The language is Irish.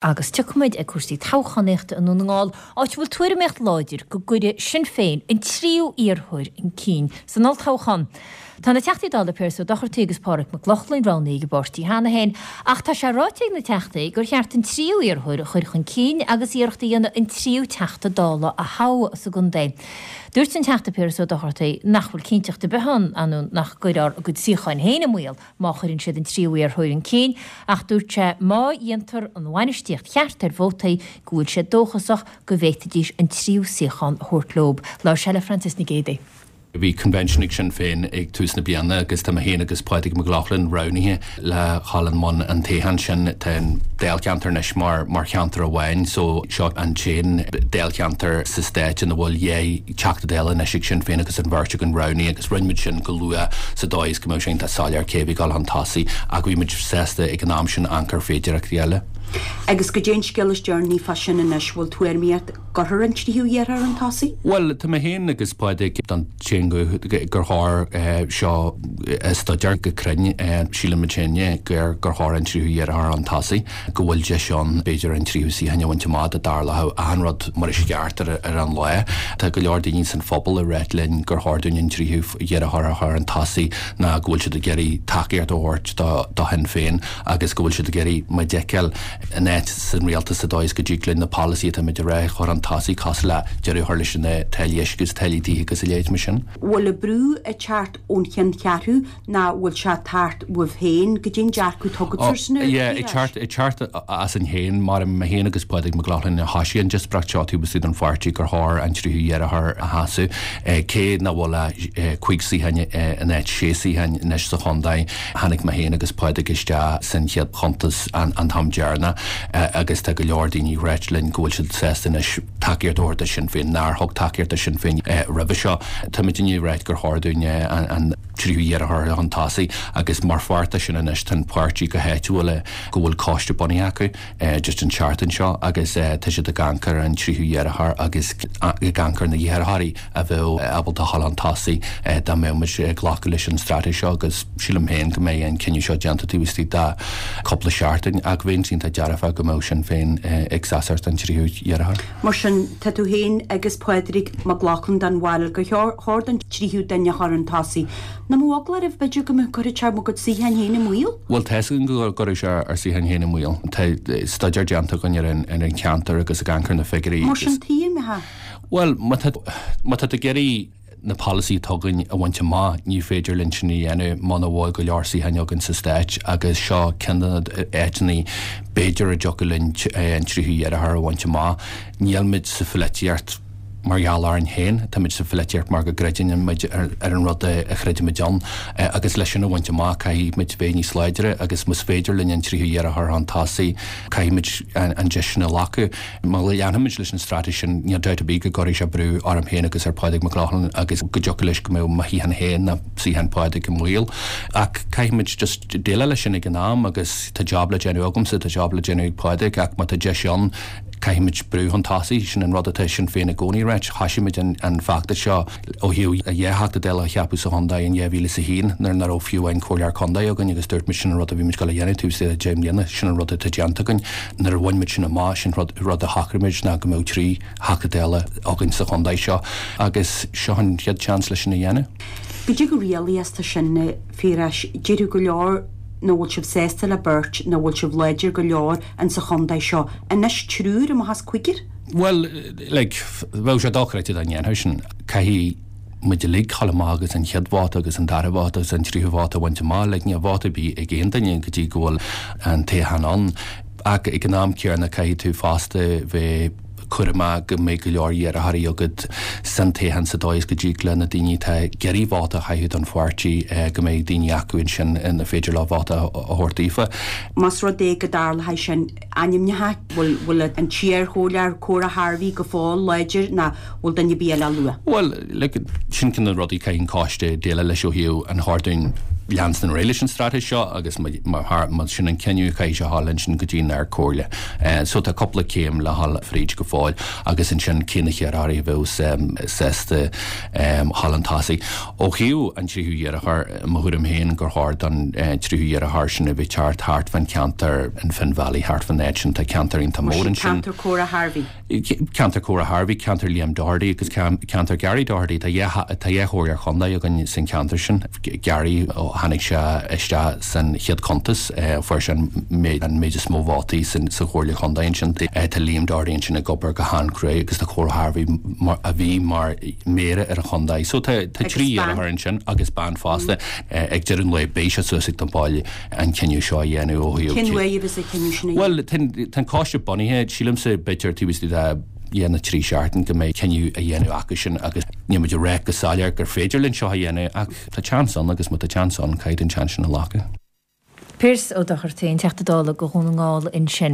Agus tiocfaimid ag cúrsaí toghchánaíochta i nDún na nGall, áit a bhfuil tuairimíocht láidir go gcuirfidh Sinn Féin an tríú iarrthóir chun cinn san olltoghchán. Tá na Teachtaí Dála Piaras Ó Dochartaigh agus Pádraig Mac Lochlainn roghnaithe ag an bpáirtí cheana féin, ach tá sé ráite ag na Teachtaí gur cheart an tríú iarrthóir a chur chun cinn agus iarracht a dhéanamh an tríú Teachta Dála a thoghadh sa gcontae. Dúirt an Teachta Piaras Ó Dochartaigh nach bhfuil cinnteacht ar bith ann nach gcuirfear a gcuid suíocháin féin i mbaol má chuireann siad an tríú iarrthóir chun cinn, ach dúirt sé má dhéantar an bhainistíocht cheart ar vótaí go bhfuil sé dóchasach go bhféadfaidís an tríú suíochán a thabhairt leo. Labhair sé le Frances Nic Géadaigh. Bhí convention ag Sinn Féin ag tús na bliana agus tá mé féin agus Pádraig Mac Lochlainn roghnaithe le dhul i mbun an toghcháin sin. Tá an dáilcheantar anois mar mar cheantar amháin so seo an t-aon dáilcheantar sa stát ina bhfuil dhá Teachta Dála anois ag Sinn Féin agus an bheirt againn roghnaithe agus rinne muid sin go luath sa dóigh is go mbeadh sé iontach soiléir cé a bhí ag dul chun tosaigh ach bhí muid sásta ag an am sin amharc ar féidireachtaí eile. Agus goidé an scéal is deireanaí fá sin anois, bhfuil tuairimíocht gcuirfear an tríú iarrthóir chun tosaigh? Bhuel, tá mé féin agus Pádraig den tsaon ghuth gur chóir seo a stuidéar go cruinn. Sílimid féin gur gur chóir an tríú iarrthóir chun tosaigh. go bhfuil deis ann b'fhéidir an tríú suíochán a bhaint amach dá dtarlódh achan rud mar is ceart ar an lá. Tá go leor daoine san phobal ag ráit linn gur chóir dúinn an tríú iarrthóir a chur chun tosaigh ná go bhfuil siad ag iarraidh tacaíocht a thabhairt do Shinn Féin agus go bhfuil siad ag iarraidh muid a fheiceáil in áit san rialtas sa dóigh is go dtig linn na polasaithe atá muid ag rá a chur chun tosaigh cosúil le deireadh a chur leis na táillí uisce agus táillí tithe agus a leithéid mar sin. Bhfuil an brú ag teacht ón cheanncheathrú ná bhfuil sé ag teacht uaibh féin, goidé an dearcadh atá agat ar sin Yeah, ag teacht, ag teacht asainn féin, mar mé féin agus Pádraig Mac Lochlainn a thoisigh an díospóireacht seo taobh istigh den pháirtí gur chóir an tríú iarrthóir a sheasamh. Cé nach bhfuil ach 5 suíochán in áit 6 suíochán anois sa chontae, tháinig mé féin agus Pádraig isteach san chéad chuntas an t-am deireanach agus tá go leor daoine ag ráit linn go bhfuil siad sásta anois tacaíocht a thabhairt do Shinn Féin nár thug tacaíocht do Shinn Féin roimhe seo. Táimid ag ráit gur chóir dúinn an tríú iarrthóir chun tosaigh agus mar pháirt de sin anois tá an páirtí go háitiúil go bhfuil coiste bunaithe acu just an tseachtain seo agus tá siad ag amharc ar an tríú iarrthóir agus ag amharc ar na hiarrthóirí a bheadh ábalta a dhul chun tosaigh dá mbeadh muid ag glacadh leis an straitéis seo agus sílim féin go mbeidh an cinneadh seo déanta taobh istigh de chúpla seachtain ach bheinn iontach dearfach go mbeadh Sinn Féin ag seasamh don tríú iarrthóir. Mar sin, tá tú féin agus Pádraig Mac Lochlainn den bharúil gur chóir don tríú duine a chur chun tosaigh. Nach mbeadh eagla oraibh, b'fhéidir, go gcuirfeadh sé bhur gcuid suíocháin féin i mbaol? Bhuel, tá 'fhios againn go gcuirfeadh sé ár suíocháin féin i mbaol. Tá staidéar déanta againn ar an cheantar agus ag amharc ar na figiúirí agus. Mar sin, tuigim, ha. Bhuel, má tá, má tá tú ag iarraidh na polasaithe atá againn a bhaint amach, ní féidir linn sin a dhéanamh muna bhfuil go leor suíocháin againn sa Stát agus seo ceann de na áiteanna b'fhéidir a dtiocfadh linn an tríú iarrthóir a bhaint amach. Níl muid sa pholaitíocht mar gheall orainn féin, tá muid sa pholaitíocht mar go gcreideann muid ar an rud a chreidimid ann agus leis sin a bhaint amach caithfidh muid bheith níos láidre agus más féidir linn an tríú iarrthóir chun tosaigh caithfidh muid an deis sin a ghlacadh. Má leanfaimid leis an straitéis sin, níl dabht ar bith go gcuirfidh sé brú orm féin agus ar Phádraig Mac Lochlainn agus go dtiocfadh leis go mbeadh mo shuíochán féin nó suíochán Phádraig i mbaol. Ach caithfimid just déileáil leis sin ag an am agus tá job le déanamh agamsa, tá job le déanamh ag Pádraig ach má tá deis ann, caithfimid brú chun tosaigh. Sin an rud atá Sinn Féin i gcónaí ag ráit. Thoisigh muid an feachtas seo ó thaobh dhá Theachta Dála a cheapadh sa chontae in 2001 nuair nach raibh fiú amháin comhairleoir contae againn agus dúirt muid sin an rud a bhí muid ag dul a dhéanamh taobh istigh de 10 mbliana, sin an rud atá déanta againn. Nuair a bhain muid sin amach, sin rud rud a shocraigh muid ná go mbeadh 3 Theachta Dála againn sa chontae seo agus seo an chéad seans leis sin a dhéanamh. Goidé chomh réalaíoch is atá sin, a Phiarais, déarfadh go leor nach bhfuil sibh sásta le beirt, nach bhfuil sibh láidir go leor insa chontae seo. Anois triúr amach as cúigear? Bhuel, like, bheadh sé dochreidte dá ndéanfadh sin. Caithfidh muid uilig dul amach agus an chéad vóta agus an dara vóta agus an tríú vóta a bhaint amach. Like, níl vóta ar bith ag aon duine go dtí go bhfuil an toghchán ann. Ach ag an am céanna caithfidh tú fosta bheith cúramach go mbeidh go leor iarrthóirí agat san toghchán sa dóigh is go dtig le na daoine atá ag iarraidh vóta a chaitheamh don pháirtí go mbeidh daoine acu ansin ina féidir leo vóta a thabhairt daofa. Más rud é go dtarlóidh sin, ainmneacha, bhfuil, bhfuil an t-iarchomhairleoir Cora Harvey go fóill láidir ná bhfuil duine ar bith eile á lua? Bhuel, like, sin ceann de na rudaí caithfidh an coiste déileáil leis ó thaobh an chóir dúinn. leanstan ar aghaidh leis an straitéis seo agus má sin an cinneadh caithfidh sé a ghabháil ansin go dtí an Ardchomhairle. So tá cúpla céim le dhul fríd go fóill agus ansin cé na hiarrthóirí a bheadh sásta dhul chun tosaigh. Ó thaobh an tríú hiarrthóir, mo thuairim féin gur chóir don tríú hiarrthóir sin a bheith ag teacht thart fán cheantar an Finn Valley, thart fán áit sin. Tá ceantar iontach mór ansin. Ceantar Cora Harvey. Ceantar Cora Harvey, ceantar Liam Doherty agus ceantar Gary Doherty. Tá dhá chomhairleoir chontae againn san cheantar sin. Gary, ó tháinig sé isteach san chéad cuntas, fuair sé an méid is mó vótaí sa chomhairle chontae ansin. Tá Liam Doherty ansin ag obair go han-chruaidh agus tá Cora Harvey a bhí mar mhéara ar an chontae. So tá trí iarrthóir ansin agus bean fosta. Ag deireadh an lae beidh sé suas ag na baill. an cinneadh seo a dhéanamh ó thaobh. Cén uaidh a bheas an cinneadh sin a dhéanamh? Bhuel, tá an coiste bunaithe, sílimse, b'fhéidir taobh istigh de dhá nó trí seachtain go mbeidh cinneadh á dhéanamh acu sin agus níl muid ag rá go soiléir gur féidir linn seo a dhéanamh ach tá seans ann agus má tá seans ann caithfidh an seans sin a ghlacadh. Pearse Ó Dochartaigh, an Teachta Dála do Dhún na nGall ansin.